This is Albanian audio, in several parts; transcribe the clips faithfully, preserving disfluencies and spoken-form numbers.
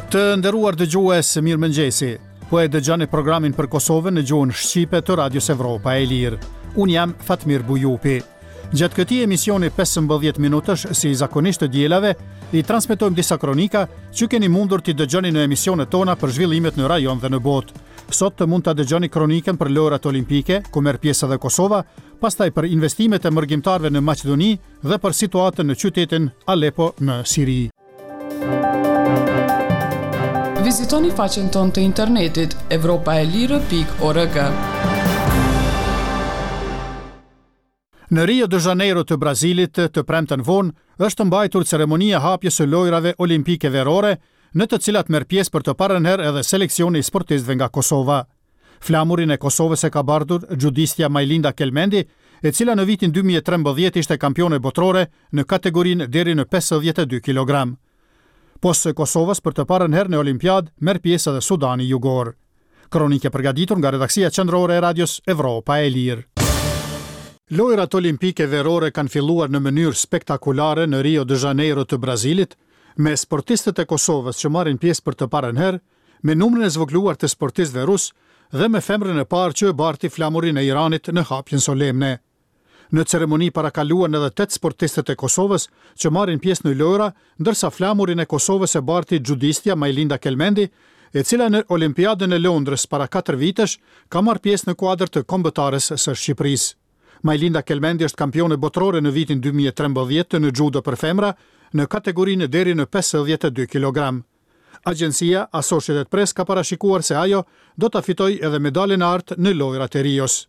Të nderuar dëgjues, mirëmëngjesi. Po e dëgjoni programin për Kosovën në gjuhën shqipe të Radios Evropa e Lirë. Unë jam Fatmir Bujupi. Gjatë këtij emisioni pesëmbëdhjetë minutësh, si zakonisht të dielave, i transmetojmë disa kronika që keni mundur t'i dëgjoni në emisionet tona për zhvillimet në rajon dhe në botë. Sot të mund ta dëgjoni kronikën për Lojërat Olimpike, ku merr pjesë edhe Kosova, pastaj për investimet e mërgimtarëve në Maqedoni dhe për situatën në qytetin Aleppo në Siri. Vizitoni faqen tonë të internetit evropaelire pikë org. Në Rio de Janeiro të Brazilit, të premten vonë, është mbajtur ceremonia e hapjes së Lojërave Olimpike Verore, në të cilat merr pjesë për të parën herë edhe seleksioni i sportistëve nga Kosova. Flamurin e Kosovës e ka bartur xhudistja Majlinda Kelmendi, e cila në vitin dy mijë e trembëdhjetë ishte kampione botërore në kategorinë deri në pesëdhjetë e dy kilogram. Pos Kosovës, për të parën herë në Olimpiadë merr pjesë edhe Sudani Jugor. Kronike përgatitur nga redaksia qendrore e Radios Evropa e Lirë. Lojërat Olimpike Verore kanë filluar në mënyrë spektakulare në Rio de Janeiro të Brazilit, me sportistët e Kosovës që marrin pjesë për të parën herë, me numrin e zvogëluar të sportistëve rus dhe me femrën e parë që e barti flamurin e Iranit në hapjen solemne. Në ceremoni parakaluan edhe tetë sportistët e Kosovës që marrin pjesë në lojra, ndërsa flamurin e Kosovës e barti xhudistja Majlinda Kelmendi, e cila në Olimpiadën e Londrës para katër vitesh ka marrë pjesë në kuadër të kombëtares së Shqipërisë. Majlinda Kelmendi është kampione botërore në vitin dy mijë e trembëdhjetë në judo për femra në kategorinë deri në pesëdhjetë e dy kilogram. Agjencia Associated Press ka parashikuar se ajo do ta fitojë edhe medaljen e artë në Lojërat e Rios.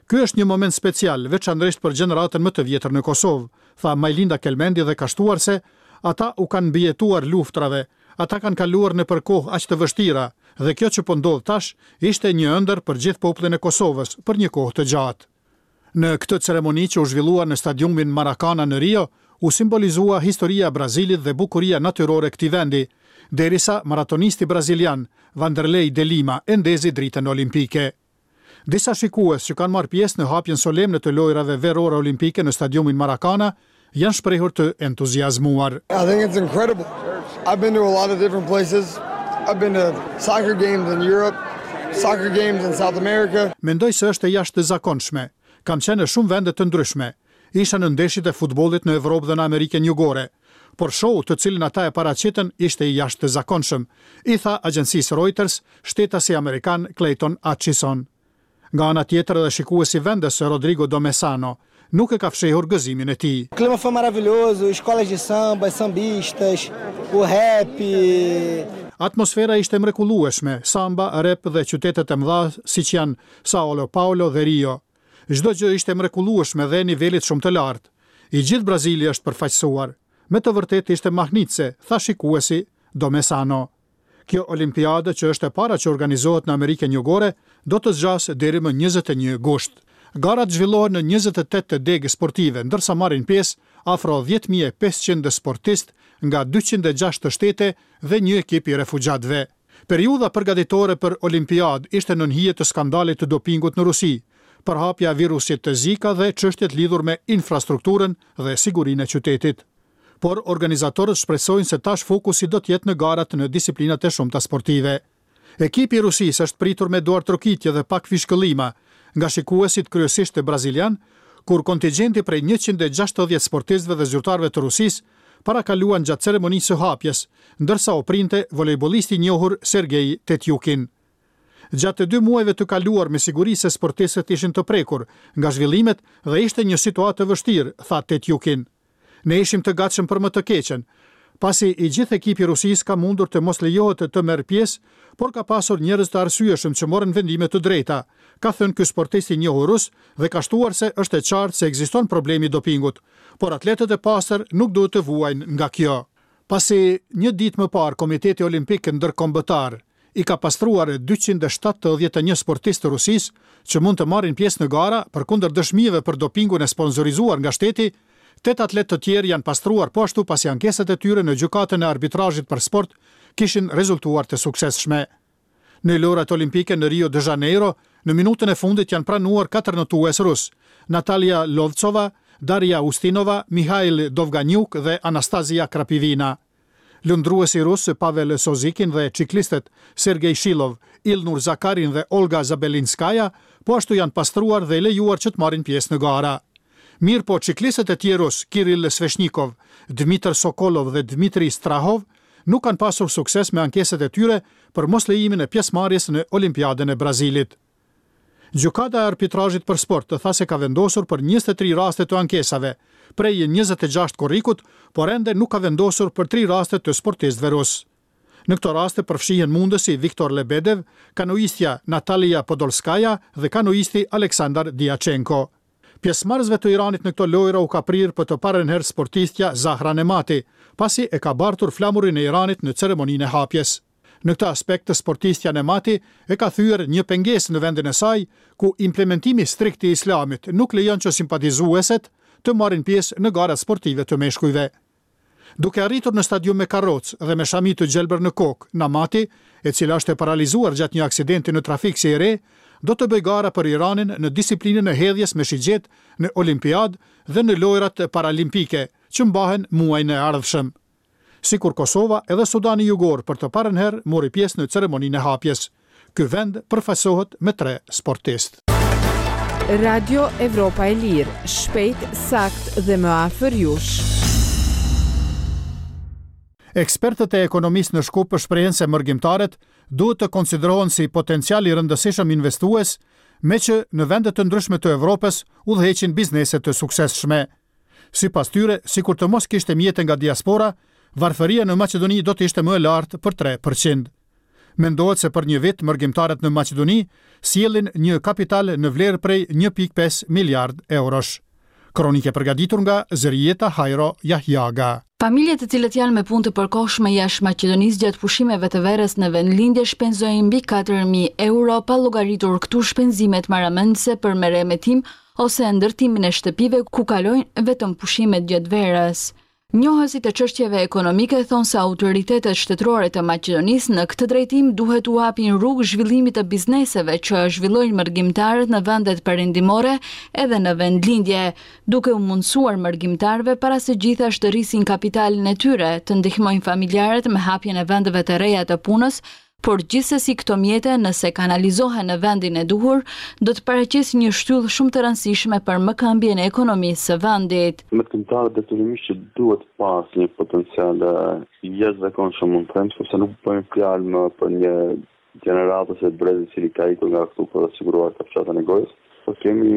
"Ky është një moment special, veçanërisht për gjeneratën më të vjetër në Kosovë", tha Majlinda Kelmendi dhe ka shtuar se ata u kanë mbijetuar luftrave, ata kanë kaluar nëpër kohë aq të vështira dhe kjo që po ndodh tash ishte një ëndër për gjithë popullin e Kosovës për një kohë të gjatë. Në këtë ceremoni që u zhvillua në stadiumin Maracana në Rio, u simbolizua historia e Brazilit dhe bukuria natyrore e këtij vendi, derisa maratonisti brazilian Vanderlei de Lima e ndezi dritën olimpike. Disa shikues që kanë marrë pjesë në hapjen solemne të Lojërave Verore Olimpike në stadiumin Maracana janë shprehur të entuziazmuar. I think it's incredible. I've been to a lot of different places. I've been to soccer games in Europe, soccer games in South America. Mendoj se është e jashtëzakonshme. Kam qenë në shumë vende të ndryshme. Isha në ndeshjet e futbollit në Evropë dhe në Amerikën Jugore. Por show të cilin ata e paraqitën ishte i jashtëzakonshëm, i tha agjencisë Reuters shtetasi amerikan Clayton Atchison. Nga ana tjetër, edhe shikuesi vendes Rodrigo Domesano nuk e ka fshehur gëzimin e tij. O clima foi maravilhoso, escolas de samba, sambistas, o rap. Atmosfera ishte mrekullueshme, samba, rap dhe qytetet e mëdha siç janë Sao Paulo dhe Rio. Çdo gjë ishte mrekullueshme dhe nivelit shumë të lartë. I gjithë Brazili është përfaqësuar. Me të vërtetë ishte mahnitëse, tha shikuesi Domesano. Kjo olimpiadë, që është e para që organizohet në Amerikën Jugore, do të zgjasë deri më njëzet e një gusht. Garat zhvillohen në njëzet e tetë degë sportive, ndërsa marrin pjesë afro dhjetë mijë e pesëqind sportist nga dyqind e gjashtë shtete dhe një ekip i refugjatëve. Periudha përgatitore për Olimpiadë ishte nën hije të skandalit të dopingut në Rusi, përhapja e virusit të Zika dhe çështjet lidhur me infrastrukturën dhe sigurinë e qytetit. Por organizatorët shpresojnë se tash fokusi do të jetë në garat në disiplinat e shumta sportive. Ekipi i Rusisë është pritur me duartrokitje dhe pak fishkëllima nga shikuesit, kryesisht të brazilian, kur kontingjenti prej njëqind e gjashtëdhjetë sportistëve dhe zyrtarëve të Rusisë parakaluan gjatë ceremonisë së hapjes, ndërsa u printe volejbollisti i njohur Sergej Tetjukin. Gjatë dy muajve të kaluar, me siguri se sportistët ishin të prekur nga zhvillimet dhe ishte një situatë e vështirë, tha Tetjukin. "Ne ishim të gatshëm për më të keqen, pasi i gjithë ekipi i Rusisë ka mundur të mos lejohet të merr pjesë, por ka pasur njerëz të arsyeshëm që morën vendime të drejta", ka thënë ky sportist i njohur rus dhe ka shtuar se është e qartë se ekziston problemi i dopingut, por atletët e pastër nuk duhet të vuajnë nga kjo. Pasi një ditë më parë Komiteti Olimpik Ndërkombëtar i ka pastruar dyqind e shtatëdhjetë e një sportistë të Rusisë që mund të marrin pjesë në gara, përkundër dëshmive për dopingun e sponsorizuar nga shteti, tetë atletë të tjerë janë pastruar po ashtu, pasi ankesat e tyre në gjykatën e arbitrazhit për sport kishin rezultuar të suksesshme. Në Lojërat Olimpike në Rio de Janeiro, në minutën e fundit janë pranuar katër notues rus: Natalia Lovcova, Daria Ustinova, Mihail Dovganjuk dhe Anastasia Krapivina. Lundruesi rus Pavel Sozikin dhe çiklistët Sergej Shilov, Ilnur Zakarin dhe Olga Zabelinskaya po ashtu janë pastruar dhe lejuar që të marrin pjesë në gara. Mirë po çiklistët e tjerë rus, Kirill Sveshnikov, Dmitr Sokolov dhe Dmitri Strahov, nuk kanë pasur sukses me ankesat e tyre për moslejimin e pjesëmarrjes në Olimpiadën e Brazilit. Gjykata e arbitrazhit për sport tha se ka vendosur për njëzet e tri raste të ankesave, prej njëzet e gjashtë korrikut, por ende nuk ka vendosur për tri raste të sportistëve rus. Në këto raste përfshihen mundësi Viktor Lebedev, kanoistja Natalia Podolskaya dhe kanoisti Aleksandar Diachenko. Pjesëmarrësve të Iranit në këto lojra u ka prirë për të parën herë sportistja Zahra Nemati, pasi e ka bartur flamurin e Iranit në ceremoninë e hapjes. Në këtë aspekt, sportistja Nemati e ka thyer një pengesë në vendin e saj, ku implementimi strikt i Islamit nuk lejon që simpatizueset të marrin pjesë në garat sportive të meshkujve. Duke arritur në stadium me karrocë dhe me shami të gjelbër në kokë, Namati, e cila është e paralizuar gjatë një aksidenti në trafik si e re, do të bëjë gara për Iranin në disiplinën e hedhjes me shigjet në Olimpiadë dhe në lojrat paralimpike, që mbahen muajin e ardhshëm. Sikur Kosova, edhe Sudani Jugor për të parën herë mori pjesë në ceremoninë e hapjes. Ky vend përfaqësohet me tre sportistë. Radio Evropa e Lirë, shpejt, sakt dhe më afër jush. Ekspertët e ekonomisë në Shkup shprehen se mërgimtarët duhet të konsiderohen si potencial i rëndësishëm investues, me që në vende të ndryshme të Evropës udhëheqin biznese të suksesshme. Sipas tyre, sikur të mos kishte mjete nga diaspora, varfëria në Maqedoni do të ishte më e lartë për tre përqind. Mendohet se për një vit mërgimtarët në Maqedoni sjellin një kapital në vlerë prej një pikë pesë miliard eurosh. Kronike përgatitur nga Zërijeta Hajro Jahjaga. Familjet të cilët janë me punë të përkohshme jashtë Maqedonisë gjatë pushimeve të verës në vendlindje shpenzojnë mbi katër mijë euro pa llogaritur këtu shpenzimet marramendëse për meremetim ose ndërtimin e shtëpive ku kalojnë vetëm pushimet gjatë verës. Njohësit e çështjeve ekonomike thonë se autoritetet shtetërore të Maqedonisë në këtë drejtim duhet u hapin rrugë zhvillimit të bizneseve që zhvillojnë mërgimtarët në vendet perëndimore edhe në vendlindje, duke u mundësuar mërgimtarëve para së gjithash të rrisin kapitalin e tyre, të ndihmojnë familjarët me hapjen e vendeve të reja të punës, por gjithsesi këto mjete, nëse kanalizohen në vendin e duhur, do të paraqesin një shtyllë shumë të rëndësishme për mëkëmbjen e ekonomisë së vendit. Mërgimtarët detyrimisht që duhet pas një potencial jashtëzakonshëm, mund të them, sepse nuk bëjmë fjalë më për një gjeneratë ose brez i cili ka ikur nga këtu për të siguruar kafshatën e gojës, por kemi